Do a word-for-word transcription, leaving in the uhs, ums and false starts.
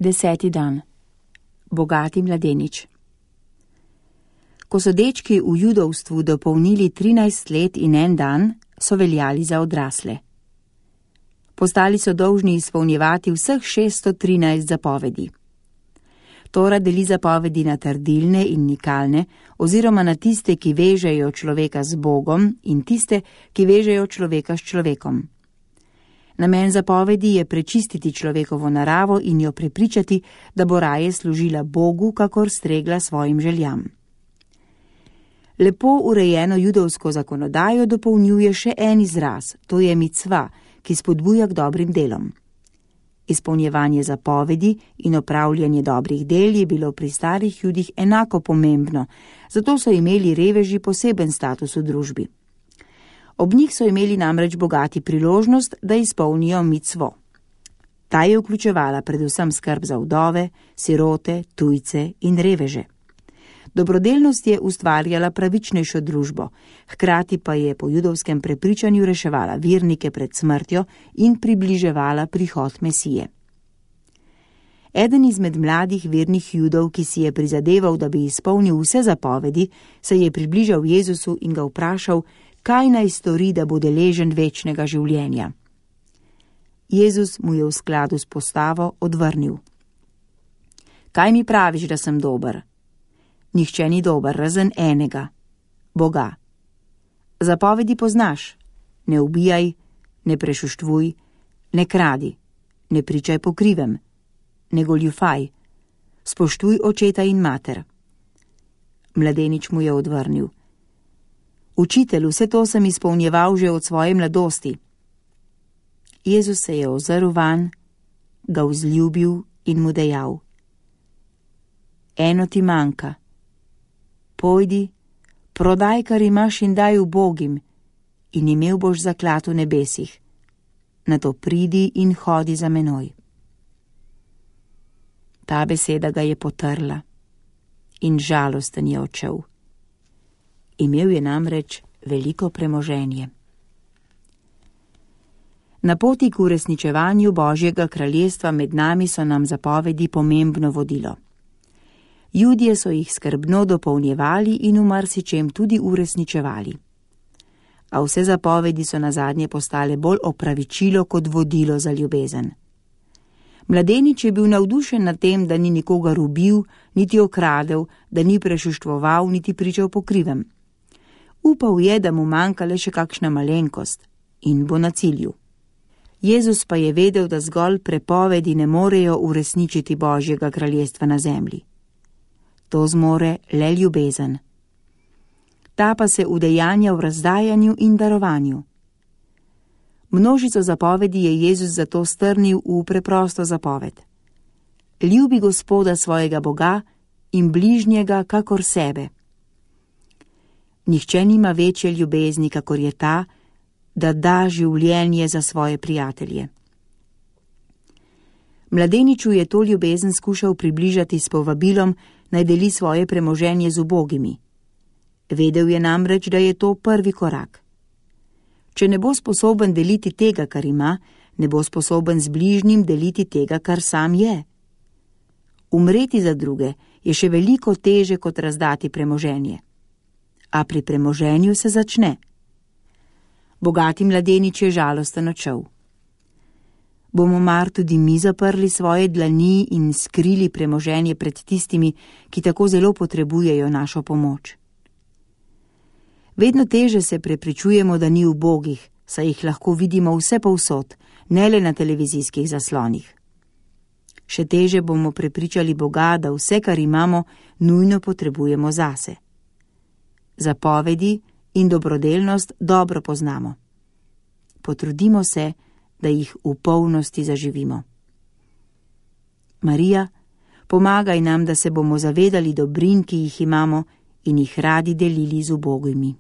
Deseti dan. Bogati mladenič. Ko so dečki v judovstvu dopolnili trinajst let in en dan, so veljali za odrasle. Postali so dolžni izpolnjevati vseh šeststo trinajst zapovedi. Tora deli zapovedi na trdilne in nikalne, oziroma na tiste, ki vežejo človeka z Bogom, in tiste, ki vežejo človeka s človekom. Namen zapovedi je prečistiti človekovo naravo in jo prepričati, da bo raje služila Bogu, kakor stregla svojim željam. Lepo urejeno judovsko zakonodajo dopolnjuje še en izraz, to je micva, ki spodbuja k dobrim delom. Izpolnjevanje zapovedi in opravljanje dobrih del je bilo pri starih judih enako pomembno, zato so imeli reveži poseben status v družbi. Ob njih so imeli namreč bogati priložnost, da izpolnijo micvo. Ta je vključevala predvsem skrb za vdove, sirote, tujce in reveže. Dobrodelnost je ustvarjala pravičnejšo družbo, hkrati pa je po judovskem prepričanju reševala vernike pred smrtjo in približevala prihod Mesije. Eden izmed mladih vernih judov, ki si je prizadeval, da bi izpolnil vse zapovedi, se je približal Jezusu in ga vprašal, kaj naj stori, da bo deležen večnega življenja. Jezus mu je v skladu s postavo odvrnil. Kaj mi praviš, da sem dober? Nihče ni dober, razen enega, Boga. Zapovedi poznaš, ne ubijaj, ne prešuštvuj, ne kradi, ne pričaj po krivem, ne goljufaj, spoštuj očeta in mater. Mladenič mu je odvrnil. Učitelj, vse to sem izpolnjeval že od svoje mladosti. Jezus se je ozrl van, ga vzljubil in mu dejal. Eno ti manjka. Pojdi, prodaj, kar imaš in daj ubogim, in imel boš zaklad v nebesih. Nato pridi in hodi za menoj. Ta beseda ga je potrla in žalosten je odšel. Imel je namreč veliko premoženje. Na poti k uresničevanju Božjega kraljestva med nami so nam zapovedi pomembno vodilo. Judje so jih skrbno dopolnjevali in v marsičem tudi uresničevali. A vse zapovedi so nazadnje postale bolj opravičilo kot vodilo za ljubezen. Mladenič je bil navdušen nad tem, da ni nikogar ubil, niti okradel, da ni prešuštvoval, niti pričal po krivem. Upal je, da mu manjka le še kakšna malenkost in bo na cilju. Jezus pa je vedel, da zgolj prepovedi ne morejo uresničiti Božjega kraljestva na zemlji. To zmore le ljubezen. Ta pa se udejanja v razdajanju in darovanju. Množico zapovedi je Jezus zato strnil v preprosto zapoved. Ljubi Gospoda svojega Boga in bližnjega kakor sebe. Nihče nima večje ljubezni, kakor je ta, da da življenje za svoje prijatelje. Mladeniču je to ljubezen skušal približati s povabilom, naj deli svoje premoženje z ubogimi. Vedel je namreč, da je to prvi korak. Če ne bo sposoben deliti tega, kar ima, ne bo sposoben z bližnjim deliti tega, kar sam je. Umreti za druge je še veliko teže kot razdati premoženje. A pri premoženju se začne. Bogati mladenič je žalosten odšel. Bomo mar tudi mi zaprli svoje dlani in skrili premoženje pred tistimi, ki tako zelo potrebujejo našo pomoč? Vedno teže se prepričujemo, da ni ubogih, saj jih lahko vidimo vse povsod, ne le na televizijskih zaslonih. Še teže bomo prepričali Boga, da vse, kar imamo, nujno potrebujemo zase. Zapovedi in dobrodelnost dobro poznamo. Potrudimo se, da jih v polnosti zaživimo. Marija, pomagaj nam, da se bomo zavedali dobrin, ki jih imamo in jih radi delili z ubogimi.